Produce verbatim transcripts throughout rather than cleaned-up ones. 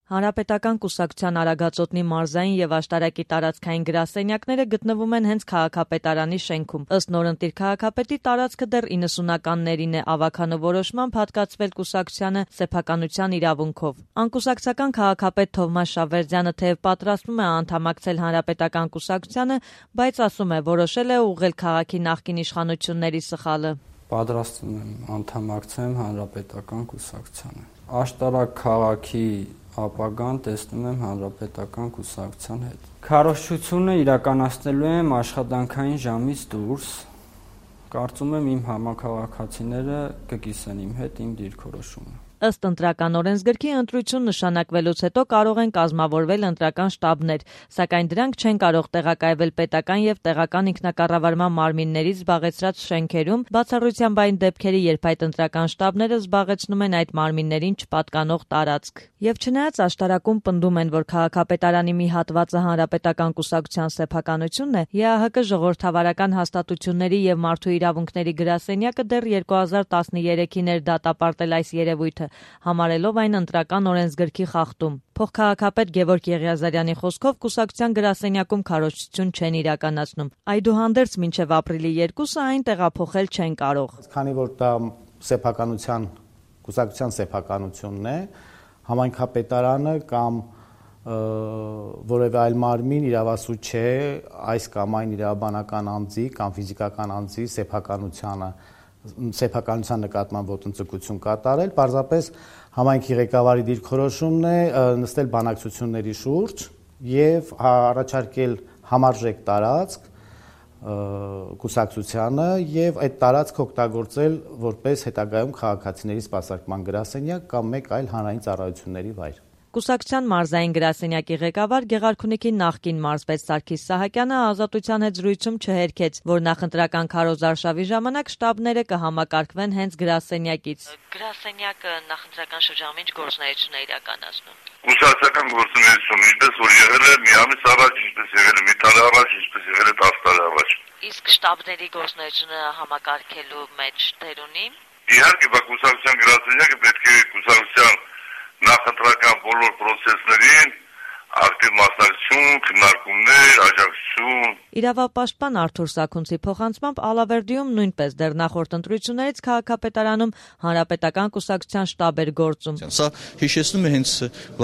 Հանրապետական կուսակցության Արագածոտնի մարզային եւ աշտարակի տարածքային գրասենյակները գտնվում են հենց քաղաքապետարանի շենքում։ Ըստ նորընտիր քաղաքապետի, տարածքը դեռ իննսունականներին է ավականորոշմամբ հատկացվել կուսակցությանը սեփականության իրավունքով։ Անկուսակցական քաղաքապետ Թովմաս Շավերդյանը թեև պատրաստվում է անդամակցել Հանրապետական կուսակցությանը, բայց ասում է, որոշել է ուղղել քաղաքի նախկին իշխանությունների սխալը։ Պատրաստվում եմ անդամակցեմ Հանրապետական կուսակցությանը։ Աշտարակ քաղաքի ապագան տեսնում եմ Հանրապետական կուսակցության հետ։ Քարոզչությունը իրականացնելու եմ աշխատանքային ժամից դուրս։ Կարծում եմ իմ համաքաղաքացիները կկիսեն իմ հետ իմ դիրքորոշումը։ Ըստ ընտրական օրենսգրքի ընտրություն նշանակվելուց հետո կարող են կազմավորվել ընտրական շտաբներ, սակայն դրանք չեն կարող տեղակայվել պետական եւ տեղական ինքնակառավարման մարմիններից զբաղեցրած շենքերում, բացառությամբ այն դեպքերի, երբ այդ ընտրական շտաբները զբաղեցնում են այդ մարմիններին չպատկանող տարածք։ Եվ չնայած աշտարակում պնդում են, որ քաղաքապետարանի մի հատվածը Հանրապետական կուսակցության սեփականությունն է, ԵԱՀԿ ժողովրդավարական հաստատությունների եւ մարդու իրավունքների գրասենյակը դեռ երկու հազար տասներեքին էր դատապարտել այս երևույթը, համարելով այն ընտրական օրենսգրքի խախտում։ Փոխքաղաքապետ Գևորգ Եղիազարյանի խոսքով կուսակցության գրասենյակում քարոզչություն չեն իրականացնում։ Այդուհանդերձ մինչև ապրիլի երկուսը այն տեղափոխել չեն կարող։ Քանի որ դա սեփականության կուսակցության սեփականությունն է, համայնքապետարանը կամ որևէ այլ մարմին իրավասու չէ այս կամ այն իրավաբանական անձի կամ ֆիզիկական անձի սեփականությանը սեփականության նկատմամբ ոտնձգություն կատարել, պարզապես համայնքի ղեկավարի դիրքորոշումն է նստել բանակցությունների շուրջ եւ առաջարկել համարժեք տարածք կուսակցությանը եւ այդ տարածքը օգտագործել որպես հետագայում քաղաքացիների սպասարկման գրասենյակ կամ մեկ այլ հանրային ծառայությունների վայր։ Կուսակցության մարզային գրասենյակի ղեկավար Գեղարքունիքի նախկին մարզպետ Սարգիս Սահակյանը Ազատության հետ զրույցում չհերքեց, որ նախընտրական քարոզարշավի ժամանակ շտաբները կհամակարգվեն հենց գրասենյակից։ Գրասենյակը նախընտրական շրջանում ինչ գործունեություն է իրականացնում։ Կուսակցական գործունեություն, ինչպես որ եղել է մի ամիս առաջ, ինչպես եղել է մի տարի առաջ, ինչպես եղել է տասը տարի առաջ։ Իսկ շտաբների գործունեությունը համակարգելու մեջ դեր ունի։ Իհարկե, բա կուսակցության գրասենյակը պետք է կուսակցության նախընտրական բոլոր պրոցեսներին ակտիվ մասնակցություն, քննարկումներ, աջակցություն։ Իրավապաշտպան Արթուր Սաքունցի փոխանցմամբ Ալավերդիում նույնպես դեռ նախորդ ընտրություններից քաղաքապետարանում Հանրապետական կուսակցության շտաբ էր գործում։ Սա հիշեցնում է հենց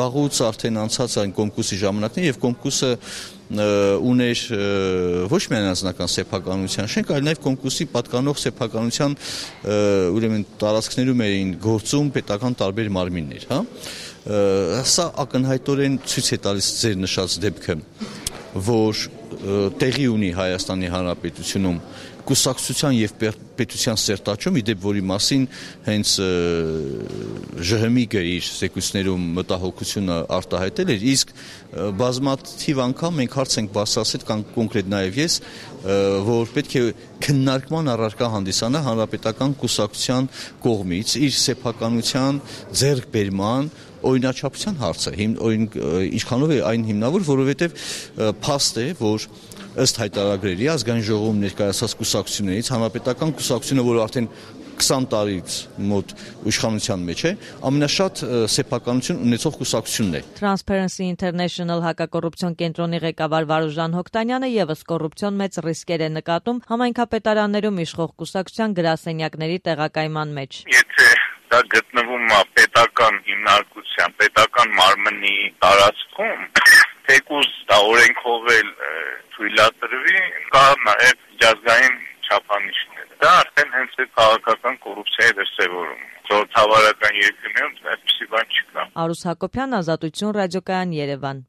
վաղուց արդեն անցած այն կոնկուրսի ժամանակն եւ կոնկուրսը ուներ ոչ միայն անձնական սեփականության շենք, այլ նաև կոնկուրսի պատկանող սեփականության ուրեմն տարածքներում էին գործում պետական տարբեր մարմիններ, հա։ Սա ակնհայտորեն ցույց է տալիս ձեր նշած դեպքը, որ տեղի ունի Հայաստանի Հանրապետությունում կուսակցության եւ պետության սերտաճում, իդեպ որի մասին հենց ԺՀՄԻԳ-ը իր զեկույցներում մտահոգությունը արտահայտել էր, իսկ բազմաթիվ անգամ մենք հարց ենք բարձրացրել կան կոնկրետ նաեւ ես, որ պետք է քննարկման առարկա հանդիսանա Հանրապետական կուսակցության կողմից իր սեփականության ձեռքբերման օրինաչափության հարցը, ինչքանով է այն հիմնավոր, որովհետև փաստ է, որ ըստ հայտարարագրերի ազգային ժողովում ներկայացած կուսակցություններից Հանրապետական կուսակցությունը, որ արդեն քսան տարից մոտ իշխանության մեջ է, ամենաշատ սեփականություն ունեցող կուսակցությունն է։ Transparency International հակակոռուպցիոն կենտրոնի ղեկավար Վարուժան Հոկտանյանը եւս կոռուպցիոն մեծ ռիսկեր է նկատում համայնքապետարաններում իշխող կուսակցության գրասենյակների տեղակայման մեջ։ Եթե դա գտնվում է պետական հիմնարկության, պետական մարմնի տարածքում, թեկուզ դա օրենքով էլ թույլատրվի, կա նաև միջազգային չափանիշներ։ Դա արդեն հենց է քաղաքական կոռուպցիայի դրսևորում։ Ժողովրդավարական երկրներում այդպիսի բան չկա։ Արուս Հակոբյան, Ազատություն ռադիոկայան, Երևան։